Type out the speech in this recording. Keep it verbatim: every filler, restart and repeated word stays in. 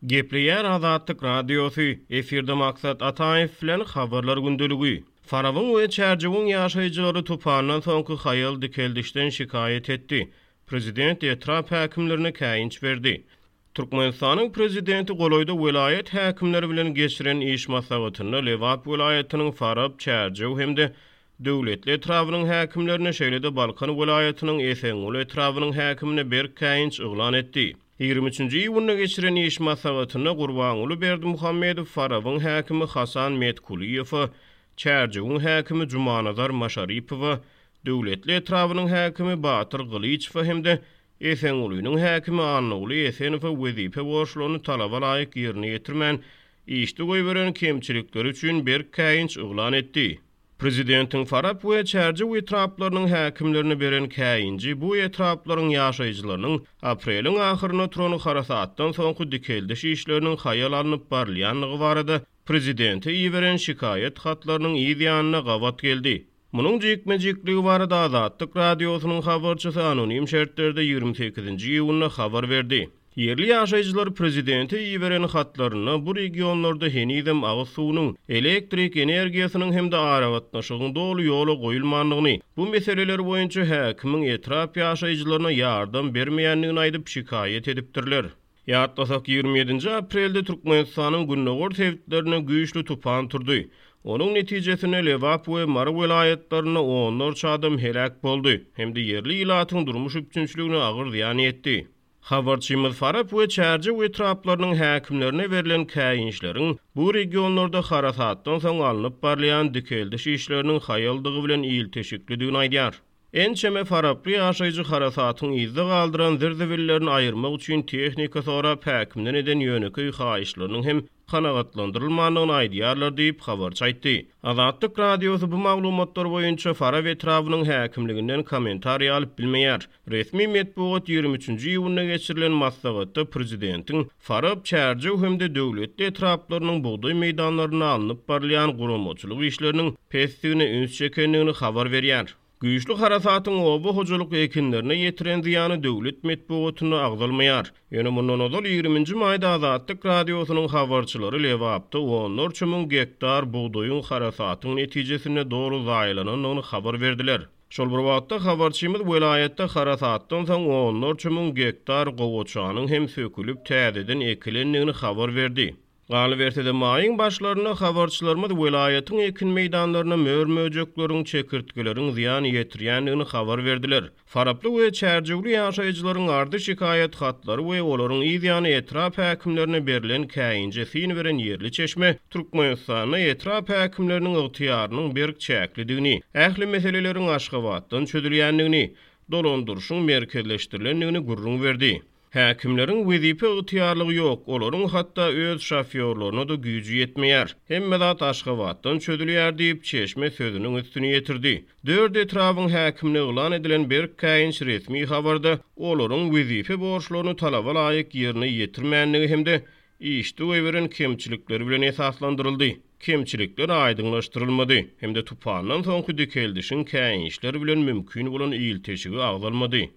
Gepleýär Azatlyk Radiosy, efirde Maksat Ataýew bilen Habarlar gündeligi. Farabyň we Çärjewiň ýaşaýjylary tupandan soňky haýal dikeldişden şikaýat etdi. Prezident etrap häkimlerine käýinç berdi. Türkmenistanyň prezidenti golaýda welaýat häkimleri bilen geçiren iş maslahatynda Lebap welaýatynyň Farap, Çärjew hem-de Döwletli etrabynyň häkimlerine, şeýle-de Balkan welaýatynyň Esenguly etrabynyň häkimine berk käýinç yglan etdi. Ýigrimi üçünji iýunda geçiren iş maslahatynda Gurbanguly Berdimuhamedow Farabyň häkimi Hasan Metkulyýewe, Çärjewiň häkimi Jumanazar Maşaripowa, Döwletli etrabynyň häkimi Batyr Gylyçowa hem-de Esengulynyň häkimi Annaguly Esenowa wezipe borçlaryny talaba laýyk ýerine ýetirmän, işde goýberen kemçilikleri üçin berk käýinç yglan etdi. Prezidentiň Farap we Çärjew etraplarynyň häkimlerine beren käýinji bu etraplaryň ýaşaýjylarynyň apreliň ahyrynda turan harasatdan soňky dikeldiş işleriniň haýal alnyp barylýandygy barada prezidente iberen şikaýat hatlarynyň yz ýanyna gabat geldi. Munuň jikme-jikligi barada Azatlyk Radiosynyň habarçysy anonim şertlerde ýigrimi sekizinji iýunda habar berdi. Ýerli ýaşaýjylar prezidente iberen hatlarynda bu regionlarda henizem agyz suwunyň, elektrik energiýasynyň hem-de aragatnaşygyň doly ýola goýulmandygyny, bu meseleler boýunça häkimiň etrap ýaşaýjylaryna ýardam bermeýändigini aýdyp şikaýat edipdirler. Ýatlasak, ýigrimi ýedinji aprelde Türkmenistanyň gündogar sebitlerinde güýçli tupan turdy. Onuň netijesinde Lebap we Mary welaýatlarynda onlarça adam heläk boldy hem-de ýerli ilatyň durmuş üpjünçiligine agyr zyýan ýetdi. Habarçymyz Farap we Çärjew etraplarynyň häkimlerine berlen käýinçleriň bu regionlarda harasatdan soň alnyp barylýan dikeldiş işleriniň haýaldygy bilen ilteşiklidigini aýdýar. Ençeme faraply ýaşaýjy harasatyň yzda galdyran zir-zibillerini aýyrmak üçin tehnika sorap häkimden eden ýönekeý haýyşlarynyň hem kanagatlandyrylmandygyny aýdýarlar diýip, habarçy aýtdy. Azatlyk Radiosy bu maglumatlar boýunça Farap etrabynyň häkimliginden kommentariý alyp bilmeýär. Resmi metbugat ýigrimi üçünji iýunda geçirilen maslahatda prezidentiň Farap, Çärjew hem-de Döwletli etraplarynyň bugdaý meýdanlarynda alnyp barylýan guramaçylyk işleriniň pesdigine üns çekendigini habar berýär. Güýçli harasatyň oba hojalyk ekinlerine ýetiren zyýany döwlet metbugatynda agzalmaýar. Ýöne mundan ozal ýigriminji maýda Azatlyk Radiosynyň habarçylary Lebapda onlarça müň gektar bugdaýyň harasatyň netijesinde doly zaýalanandygyny habar berdiler. Şol bir wagtda habarçymyz welaýatda harasatdan soň onlarça müň gektar gowaçanyň hem sökülip täzeden ekilendigini habar berdi. Galyberse-de, maýyň başlarynda habarçylarymyz welaýatyň ekin meýdanlaryna mör-möjekleriň, çekirtgeleriň zyýan ýetirýändigini habar berdiler. Faraply we Çärjewli ýaşaýjylaryň ardy-şikaýat hatlary we olaryň yz ýany etrap häkimlerine berlen käýinje syn beren ýerli çeşme Türkmenistanda etrap häkimleriniň ygtyýarynyň berk çäklidigini, ähli meseleleriň Aşgabatdan çözülýändigini, dolandyryşyň merkezleşdirilendigini gürrüň berdi. Häkimleriň wezipe ygtyýarlygy ýok, olaryň hatda öz şofýorlaryna-da güýji ýetmeýär. Hemme zat Aşgabatdan çözülýär diýip, çeşme sözüniň üstüni ýetirdi. Dört etrabyň häkimine yglan edilen berk käýinç resmi habarda olaryň wezipe borçlaryny talaba laýyk ýerine ýetirmändigi hem-de işde goýberen kemçilikleri bilen esaslandyryldy. Kemçilikler aýdyňlaşdyrylmady hem-de tupandan soňky dikeldişiň käýinçler bilen mümkin bolan ilteşigi agzalmady.